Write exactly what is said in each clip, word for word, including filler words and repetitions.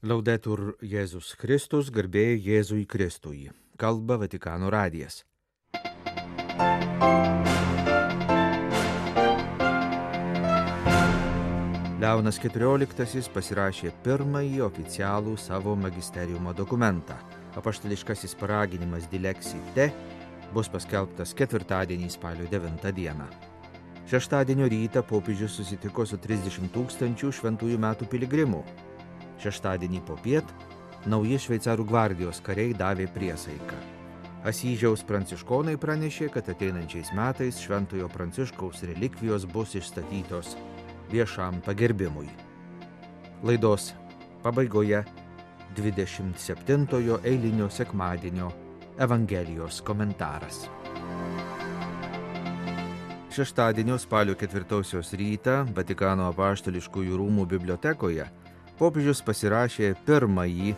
Laudetur Jėzus Kristus, garbė Jėzui Kristui. Kalba Vatikano radijas. Leonas keturioliktasis pasirašė pirmąjį oficialų savo magisteriumo dokumentą. Apaštališkasis paraginimas Dilexi Te bus paskelbtas ketvirtadienį spalio devintą dieną. Šeštadienio rytą popiežius susitiko su trisdešimt tūkstančių šventųjų metų piligrimų. Šeštadienį popiet nauji šveicarų gvardijos kariai davė priesaiką. Asyžiaus pranciškonai pranešė, kad ateinančiais metais šventojo Pranciškaus relikvijos bus išstatytos viešam pagerbimui. Laidos pabaigoje dvidešimt septintojo eilinio sekmadienio Evangelijos komentaras. Šeštadienio spalio ketvirtosios rytą Vatikano apaštališkųjų rūmų bibliotekoje popiežius pasirašė pirmąjį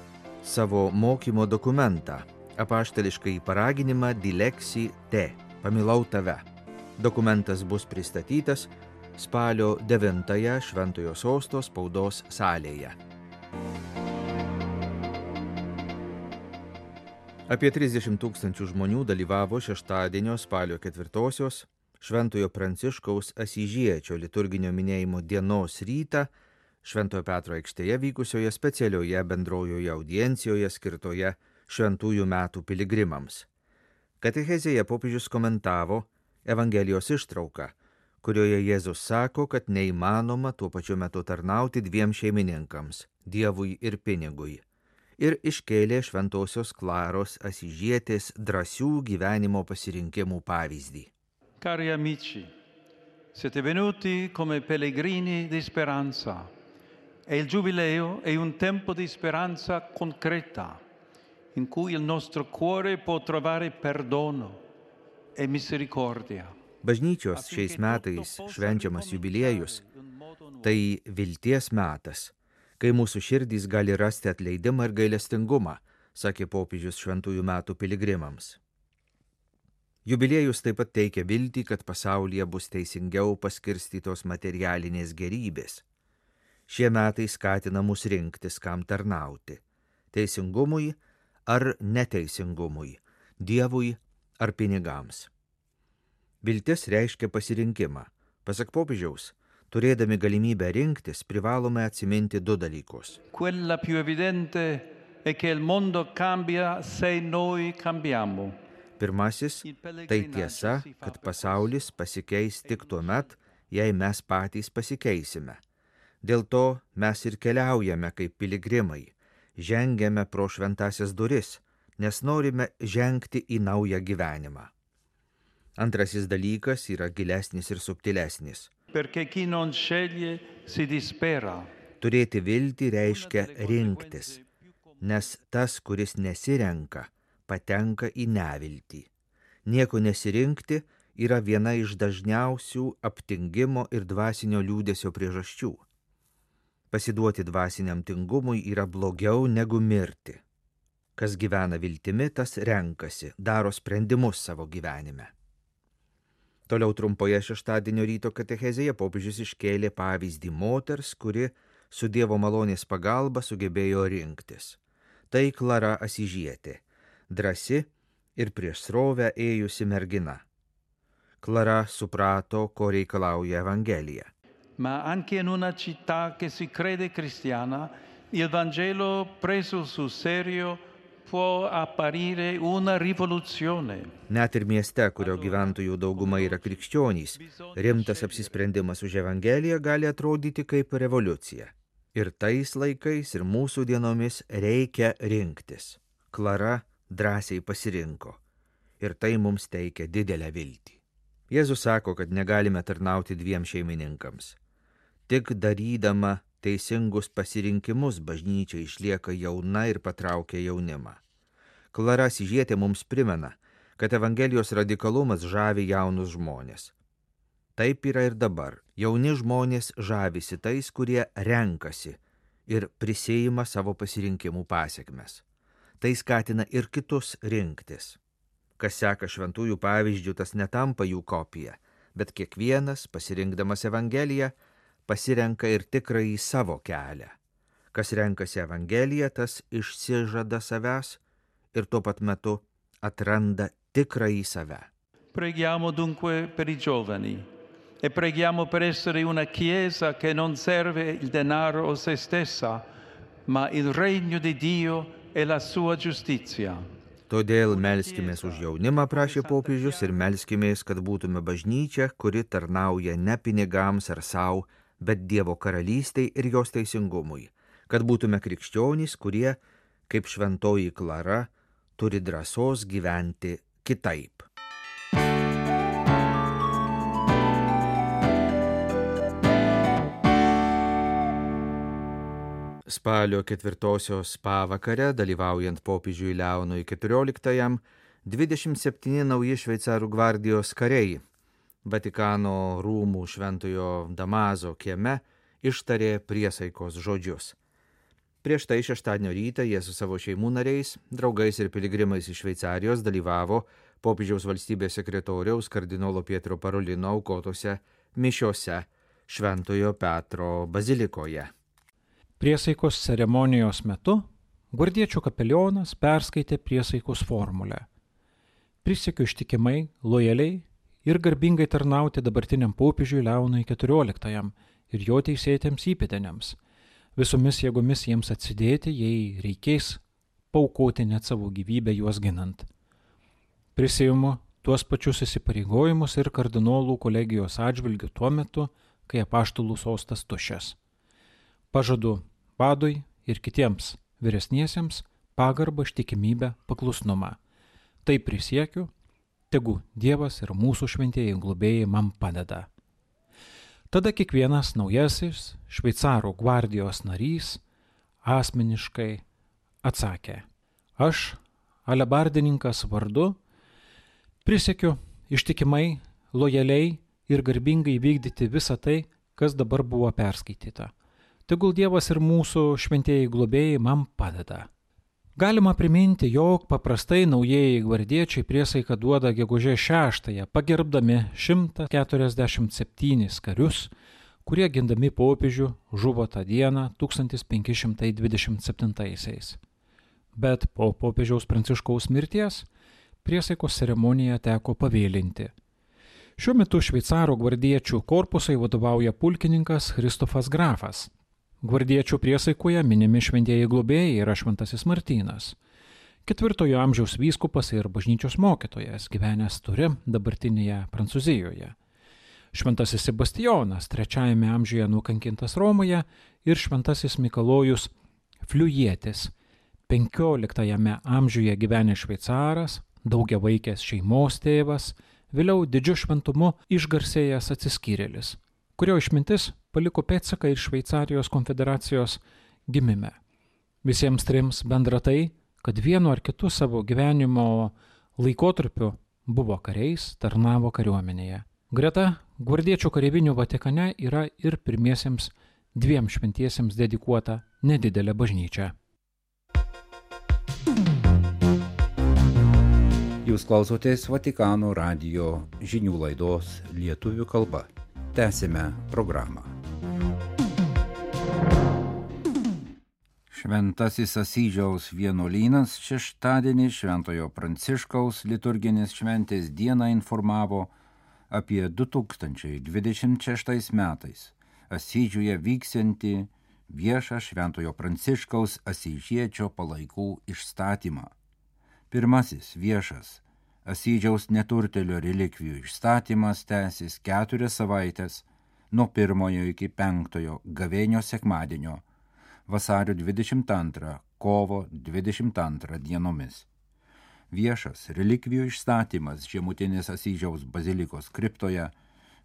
savo mokymo dokumentą – apaštališkąjį paraginimą Dilexi Te – pamilau tave. Dokumentas bus pristatytas spalio devintąją Šventojo Sosto spaudos salėje. Apie trisdešimt tūkstančių žmonių dalyvavo šeštadienio spalio ketvirtosios Šventojo Pranciškaus Asyžiečio liturginio minėjimo dienos rytą Šventojo Petro aikštėje vykusioje specialioje bendrojoje audiencijoje skirtoje šventųjų metų piligrimams. Katechezėje popiežius komentavo Evangelijos ištrauką, kurioje Jėzus sako, kad neįmanoma tuo pačiu metu tarnauti dviem šeimininkams – Dievui ir pinigui, ir iškėlė šventosios Klaros Asyžietės drąsių gyvenimo pasirinkimų pavyzdį. Cari amici, siete venuti come pellegrini di speranza. E il Giubileo è un tempo di speranza concreta, in cui il nostro cuore può trovare perdono e misericordia. Bažnyčios šiais metais švenčiamas jubiliejus – tai vilties metas, kai mūsų širdys gali rasti atleidimą ir gailestingumą, sakė popiežius šventųjų metų piligrimams. Jubiliejus taip pat teikia viltį, kad pasaulyje bus teisingiau paskirstytos materialinės gerybės. Šie metai skatina mus rinktis, kam tarnauti – teisingumui ar neteisingumui, Dievui ar pinigams. Viltis reiškia pasirinkimą. Pasak popiežiaus, turėdami galimybę rinktis, privalome atsiminti du dalykus. Quella più evidente è che il mondo cambia se noi cambiamo. Pirmasis – tai tiesa, kad pasaulis pasikeis tik tuo met, jei mes patys pasikeisime. Dėl to mes ir keliaujame kaip piligrimai, žengiame pro šventasias duris, nes norime žengti į naują gyvenimą. Antrasis dalykas yra gilesnis ir subtilesnis. Perché chi non sceglie si dispera. Turėti viltį reiškia rinktis, nes tas, kuris nesirenka, patenka į neviltį. Nieko nesirinkti yra viena iš dažniausių aptingimo ir dvasinio liūdesio priežasčių. Pasiduoti dvasiniam tingumui yra blogiau negu mirti. Kas gyvena viltimi, tas renkasi, daro sprendimus savo gyvenime. Toliau trumpoje šeštadienio ryto katechezėje popiežius iškėlė pavyzdį moters, kuri su Dievo malonės pagalba sugebėjo rinktis. Tai Klara Asyžietė, drąsi ir prieš srovę ėjusi mergina. Klara suprato, ko reikalauja Evangelija. Ma anche in una città che si crede cristiana, il Vangelo preso sul serio può apparire una rivoluzione. Net ir mieste, kurio gyventojų dauguma yra krikščionys, rimtas apsisprendimas už Evangeliją gali atrodyti kaip revoliucija. Ir tais laikais, ir mūsų dienomis reikia rinktis. Klara drąsiai pasirinko. Ir tai mums teikia didelę viltį. Jėzus sako, kad negalime tarnauti dviem šeimininkams. Tik darydama teisingus pasirinkimus bažnyčia išlieka jauna ir patraukia jaunimą. Klara Asyžietė mums primena, kad Evangelijos radikalumas žavi jaunus žmonės. Taip yra ir dabar. Jauni žmonės žavisi tais, kurie renkasi ir prisiima savo pasirinkimų pasekmes. Tai skatina ir kitus rinktis. Kas seka šventųjų pavyzdžių, tas netampa jų kopija, bet kiekvienas, pasirinkdamas Evangeliją, pasirenka ir tikrąjį savo kelią. Kas renkasi Evangeliją, tas išsižada savęs ir tuo pat metu atranda tikrąjį save. Preghiamo dunque per i giovani e preghiamo per essere una Chiesa che non serve il denaro o se stessa, ma il regno di Dio e la sua giustizia. Todėl melskimės už jaunimą, prašė popiežius, ir melskimės, kad būtume bažnyčia, kuri tarnauja ne pinigams ar savo, bet Dievo karalystei ir jos teisingumui. Kad būtume krikščionys, kurie, kaip šventoji Klara, turi drąsos gyventi kitaip. Spalio ketvirtosios pavakare, dalyvaujant popiežiui Leonui keturioliktajam, dvidešimt septyni nauji šveicarų gvardijos kariai Vatikano rūmų šventojo Damaso kieme ištarė priesaikos žodžius. Prieš tai šeštadienio rytą jie su savo šeimų nariais, draugais ir piligrimais iš Šveicarijos dalyvavo popiežiaus valstybės sekretoriaus kardinolo Pietro Parolino aukotose mišiose Šventojo Petro bazilikoje. Priesaikos ceremonijos metu gvardiečių kapelionas perskaitė priesaikos formulę. Prisiekiu ištikimai, lojaliai ir garbingai tarnauti dabartiniam popiežiui Leonui keturioliktajam ir jo teisėtiems įpėdiniams, visomis jėgomis jiems atsidėti, jei reikės, paaukoti net savo gyvybę juos ginant. Prisiimu tuos pačius įsipareigojimus ir kardinolų kolegijos atžvilgių tuo metu, kai apaštalų sostas tuščias. Pažadu vadui ir kitiems vyresniesiems pagarbą, ištikimybę, paklusnumą. Tai prisiekiu, tegu Dievas ir mūsų šventieji globėjai man padeda. Tada kiekvienas naujasis šveicarų gvardijos narys asmeniškai atsakė: aš, alebardininkas vardu, prisiekiu ištikimai, lojaliai ir garbingai vykdyti visą tai, kas dabar buvo perskaityta. Tegul Dievas ir mūsų šventieji globėjai man padeda. Galima priminti, jog paprastai naujieji gvardiečiai priesaiką duoda gegužės šeštąją, pagerbdami šimtą keturiasdešimt septynis karius, kurie gindami popiežių žuvo tą dieną tūkstantis penki šimtai dvidešimt septintaisiais. Bet po popiežiaus Pranciškaus mirties priesaikos ceremoniją teko pavėlinti. Šiuo metu šveicarų gvardiečių korpusai vadovauja pulkininkas Kristofas Grafas. Gvardiečių priesaikoje minimi šventieji globėjai yra šventasis Martynas, ketvirtojo amžiaus vyskupas ir bažnyčios mokytojas, gyvenęs Ture dabartinėje Prancūzijoje. Šventasis Sebastijonas, trečiajame amžiuje nukankintas Romoje, ir šventasis Mikalojus Fliujietis, penkioliktajame amžiuje gyvenęs šveicaras, daugiavaikės šeimos tėvas, vėliau didžiu šventumu išgarsėjęs atsiskyrėlis, kurio išmintis paliko pėdsaką ir Šveicarijos konfederacijos gimime. Visiems trims bendra tai, kad vienu ar kitu savo gyvenimo laikotarpiu buvo kariais, tarnavo kariuomenėje. Greta gvardiečių kareivinių Vatikane yra ir pirmiesiems dviem šventiesiems dedikuota nedidelė bažnyčia. Jūs klausotės Vatikano radijo žinių laidos lietuvių kalba. Tęsime programą. Šventasis Asyžiaus vienuolynas šeštadienį Šventojo Pranciškaus liturginės šventės dieną informavo apie du tūkstančiai dvidešimt šeštais metais Asyžiuje vyksiantį viešą Šventojo Pranciškaus asyžiečio palaikų išstatymą. Pirmasis viešas Asyžiaus neturtelio relikvijų išstatymas tęsis keturias savaitės nuo pirmojo iki penktojo gavėnio sekmadienio vasario dvidešimt antrą kovo dvidešimt antrą dienomis. Viešas relikvijų išstatymas žemutinės Asyžiaus bazilikos kriptoje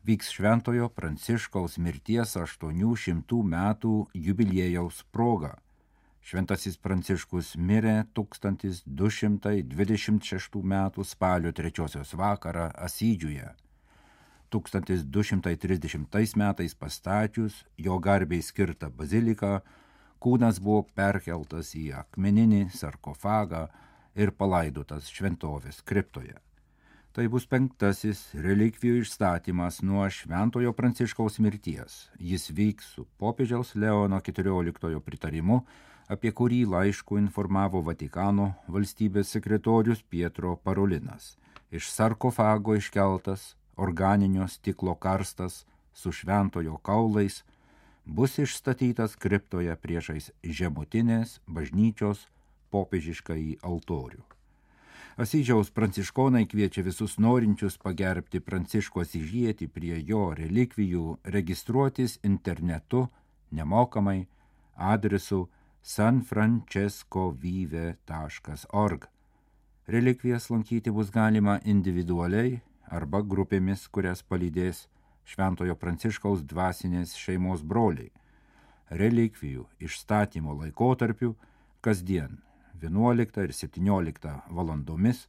vyks Šventojo Pranciškaus mirties aštuonių šimtų metų jubiliejaus proga. Šventasis Pranciškus mirė tūkstantis du šimtai dvidešimt šeštų metų spalio trečiosios vakarą Asyžiuje. tūkstantis du šimtai trisdešimtais metais pastačius jo garbei skirtą baziliką, kūnas buvo perkeltas į akmeninį sarkofagą ir palaidotas šventovės kriptoje. Tai bus penktasis relikvijų išstatymas nuo Šventojo Pranciškaus mirties. Jis vyks su popiežiaus Leono keturioliktojo pritarimu, apie kurį laišku informavo Vatikano valstybės sekretorius Pietro Parolinas. Iš sarkofago iškeltas organinio stiklo karstas su šventojo kaulais bus išstatytas kriptoje priešais žemutinės bažnyčios popiežiškąjį altorių. Asyžiaus pranciškonai kviečia visus norinčius pagerbti Pranciškų Asyžietį prie jo relikvijų registruotis internetu nemokamai adresu san francesco vive taškas org. Relikvijas lankyti bus galima individualiai arba grupėmis, kurias palydės Šventojo Pranciškaus dvasinės šeimos broliai. Relikvijų išstatymo laikotarpiu kasdien vienuoliktą ir septynioliktą valandomis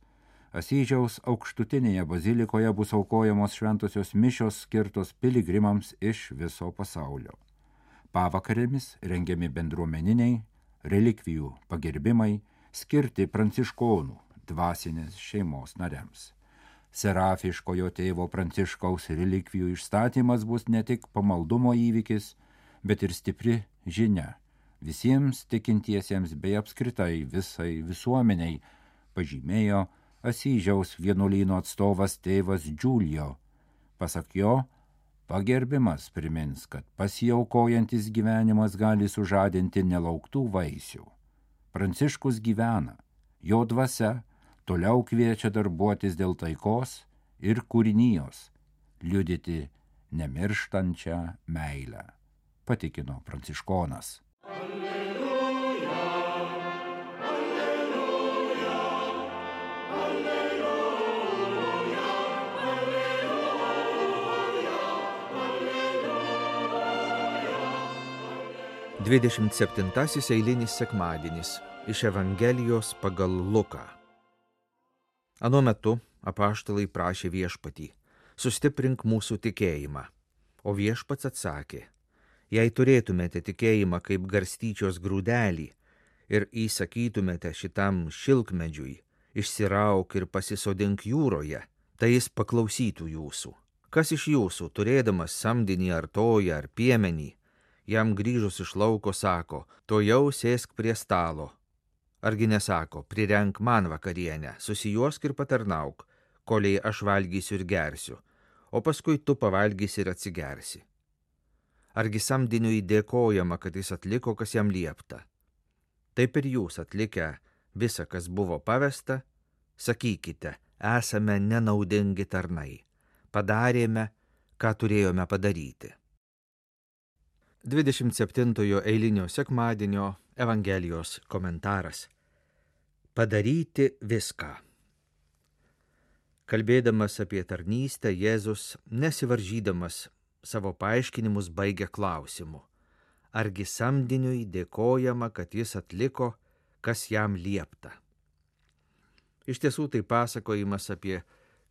Asyžiaus aukštutinėje bazilikoje bus aukojamos šventosios mišios skirtos piligrimams iš viso pasaulio. Pavakarėmis rengiami bendruomeniniai relikvijų pagerbimai skirti pranciškonų dvasinės šeimos nariams. Serafiškojo tėvo Pranciškaus relikvijų išstatymas bus ne tik pamaldumo įvykis, bet ir stipri žinia visiems tikintiesiems bei apskritai visai visuomeniai, pažymėjo Asyžiaus vienuolyno atstovas tėvas Giulio. Pasak jo, pagerbimas primins, kad pasiaukojantis gyvenimas gali sužadinti nelauktų vaisių. Pranciškus gyvena, jo dvasia toliau kviečia darbuotis dėl taikos ir kūrinijos, liudyti nemirštančią meilę, patikino pranciškonas. dvidešimt septintasis eilinis sekmadienis iš Evangelijos pagal Luką. Anuo metu apaštalai prašė viešpatį: sustiprink mūsų tikėjimą. O viešpats atsakė: jei turėtumėte tikėjimą kaip garstyčios grūdelį ir įsakytumėte šitam šilkmedžiui: išsirauk ir pasisodink jūroje, tai jis paklausytų jūsų. Kas iš jūsų, turėdamas samdinį ar toją ar piemenį, jam grįžus iš lauko sako: to jau sėsk prie stalo? Argi nesako: prirenk man vakarienę, susijuosk ir patarnauk, koliai aš valgysiu ir gersiu, o paskui tu pavalgysi ir atsigersi. Argi samdiniui dėkojama, kad jis atliko, kas jam liepta? Taip ir jūs, atlikę visa, kas buvo pavesta, sakykite: esame nenaudingi tarnai, padarėme, ką turėjome padaryti. dvidešimt septintojo eilinio sekmadienio Evangelijos komentaras. Padaryti viską. Kalbėdamas apie tarnystę, Jėzus, nesivaržydamas savo paaiškinimus, baigia klausimu: argi samdiniui dėkojama, kad jis atliko, kas jam liepta? Iš tiesų tai pasakojimas apie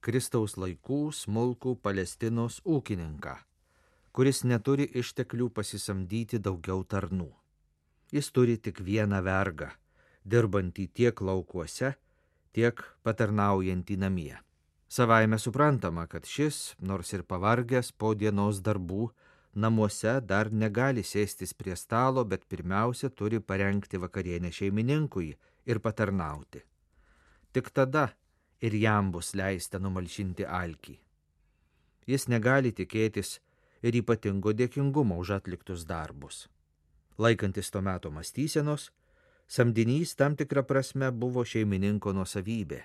Kristaus laikų smulkų Palestinos ūkininką, kuris neturi išteklių pasisamdyti daugiau tarnų. Jis turi tik vieną vergą, dirbantį tiek laukuose, tiek patarnaujantį namie. Savaime suprantama, kad šis, nors ir pavargęs po dienos darbų, namuose dar negali sėstis prie stalo, bet pirmiausia turi parengti vakarienę šeimininkui ir patarnauti. Tik tada ir jam bus leista numalšinti alkį. Jis negali tikėtis ir ypatingo dėkingumo už atliktus darbus. Laikantis to meto mąstysenos, samdinys tam tikrą prasme buvo šeimininko nuosavybė,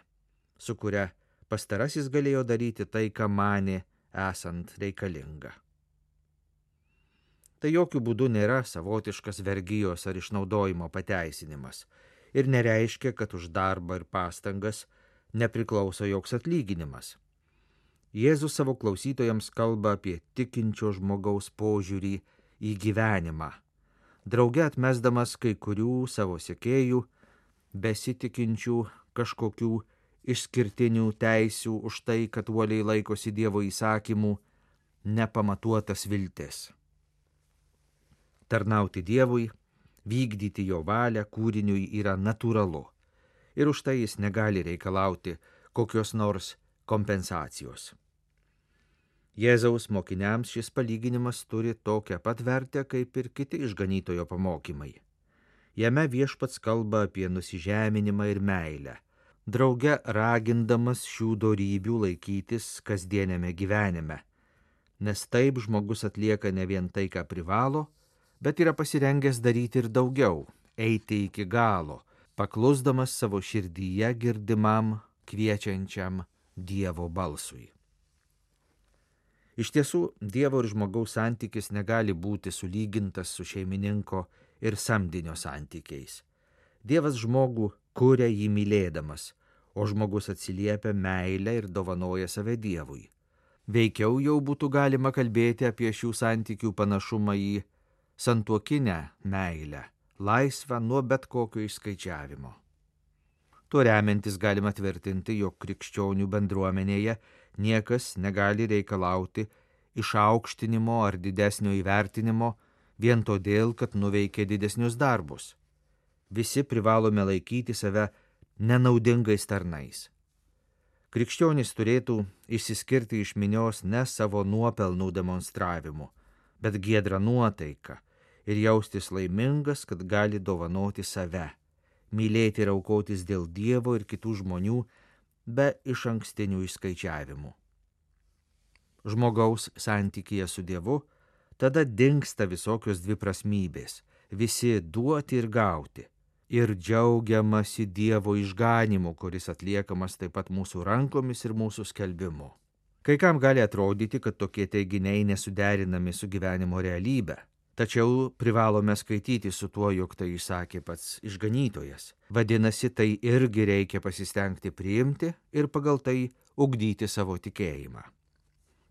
su kuria pastarasis galėjo daryti tai, ką manė esant reikalinga. Tai jokių būdų nėra savotiškas vergijos ar išnaudojimo pateisinimas ir nereiškia, kad už darbą ir pastangas nepriklauso joks atlyginimas. Jėzus savo klausytojams kalba apie tikinčio žmogaus požiūrį į gyvenimą, drauge atmesdamas kai kurių savo sekėjų, besitikinčių kažkokių išskirtinių teisių už tai, kad uoliai laikosi Dievo įsakymų, nepamatuotas viltis. Tarnauti Dievui, vykdyti jo valią kūriniui yra natūralu ir už tai jis negali reikalauti kokios nors kompensacijos. Jėzaus mokiniams šis palyginimas turi tokią pat vertę kaip ir kiti išganytojo pamokymai. Jame viešpats kalba apie nusižeminimą ir meilę, drauge ragindamas šių dorybių laikytis kasdieniame gyvenime, nes taip žmogus atlieka ne vien tai, ką privalo, bet yra pasirengęs daryti ir daugiau, eiti iki galo, paklusdamas savo širdyje girdimam, kviečiančiam Dievo balsui. Iš tiesų, Dievo ir žmogaus santykis negali būti sulygintas su šeimininko ir samdinio santykiais. Dievas žmogų kuria jį mylėdamas, o žmogus atsiliepia meilę ir dovanoja save Dievui. Veikiau jau būtų galima kalbėti apie šių santykių panašumą į santuokinę meilę, laisvą nuo bet kokio išskaičiavimo. Tuo remiantis galima tvirtinti, jog krikščionių bendruomenėje niekas negali reikalauti išaukštinimo ar didesnio įvertinimo vien todėl, kad nuveikė didesnius darbus. Visi privalome laikyti save nenaudingais tarnais. Krikščionys turėtų išsiskirti iš minios ne savo nuopelnų demonstravimu, bet giedrą nuotaiką ir jaustis laimingas, kad gali dovanoti save, mylėti ir aukotis dėl Dievo ir kitų žmonių be išankstinių išskaičiavimų. Žmogaus santykyje su Dievu tada dingsta visokios dviprasmybės, visi duoti ir gauti, ir džiaugiamasi Dievo išganimu, kuris atliekamas taip pat mūsų rankomis ir mūsų skelbimu. Kai kam gali atrodyti, kad tokie teiginiai nesuderinami su gyvenimo realybe, tačiau privalome skaityti su tuo, jog tai išsakė pats išganytojas. Vadinasi, tai irgi reikia pasistengti priimti ir pagal tai ugdyti savo tikėjimą.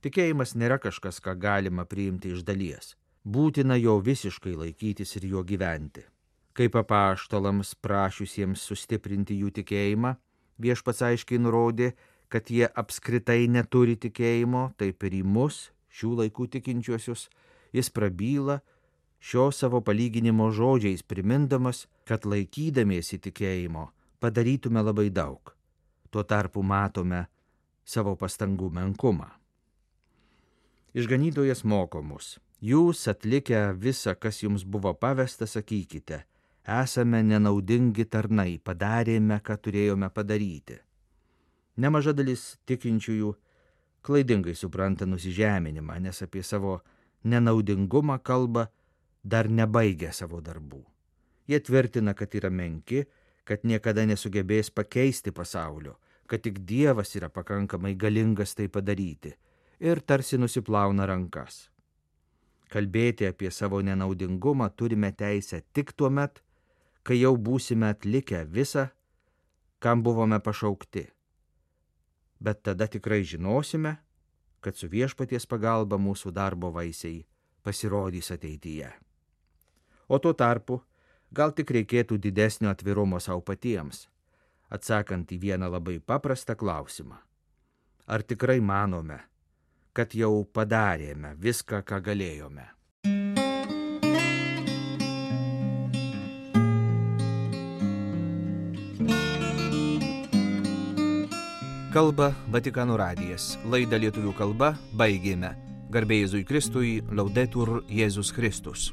Tikėjimas nėra kažkas, ką galima priimti iš dalies. Būtina jo visiškai laikytis ir jo gyventi. Kaip apaštalams prašiusiems sustiprinti jų tikėjimą, viešpats aiškiai nurodė, kad jie apskritai neturi tikėjimo, taip ir į mus, šių laikų tikinčiuosius, jis prabyla šio savo palyginimo žodžiais, primindamas, kad laikydamiesi tikėjimo padarytume labai daug. Tuo tarpu matome savo pastangų menkumą. Išganytojas moko mus: jūs atlikę visą, kas jums buvo pavesta, sakykite, esame nenaudingi tarnai, padarėme, ką turėjome padaryti. Nemaža dalis tikinčiųjų klaidingai supranta nusižeminimą, nes apie savo nenaudingumą kalba dar nebaigę savo darbų. Jie tvirtina, kad yra menki, kad niekada nesugebės pakeisti pasaulio, kad tik Dievas yra pakankamai galingas tai padaryti, ir tarsi nusiplauna rankas. Kalbėti apie savo nenaudingumą turime teisę tik tuo met, kai jau būsime atlikę visą, kam buvome pašaukti. Bet tada tikrai žinosime, kad su viešpaties pagalba mūsų darbo vaisiai pasirodys ateityje. O tuo tarpu gal tik reikėtų didesnio atvirumo savo patiems, atsakant į vieną labai paprastą klausimą. Ar tikrai manome, kad jau padarėme viską, ką galėjome? Kalba Vatikano radijas. Laidą lietuvių kalba baigėme. Garbė Jėzui Kristui, Laudetur Jėzus Kristus.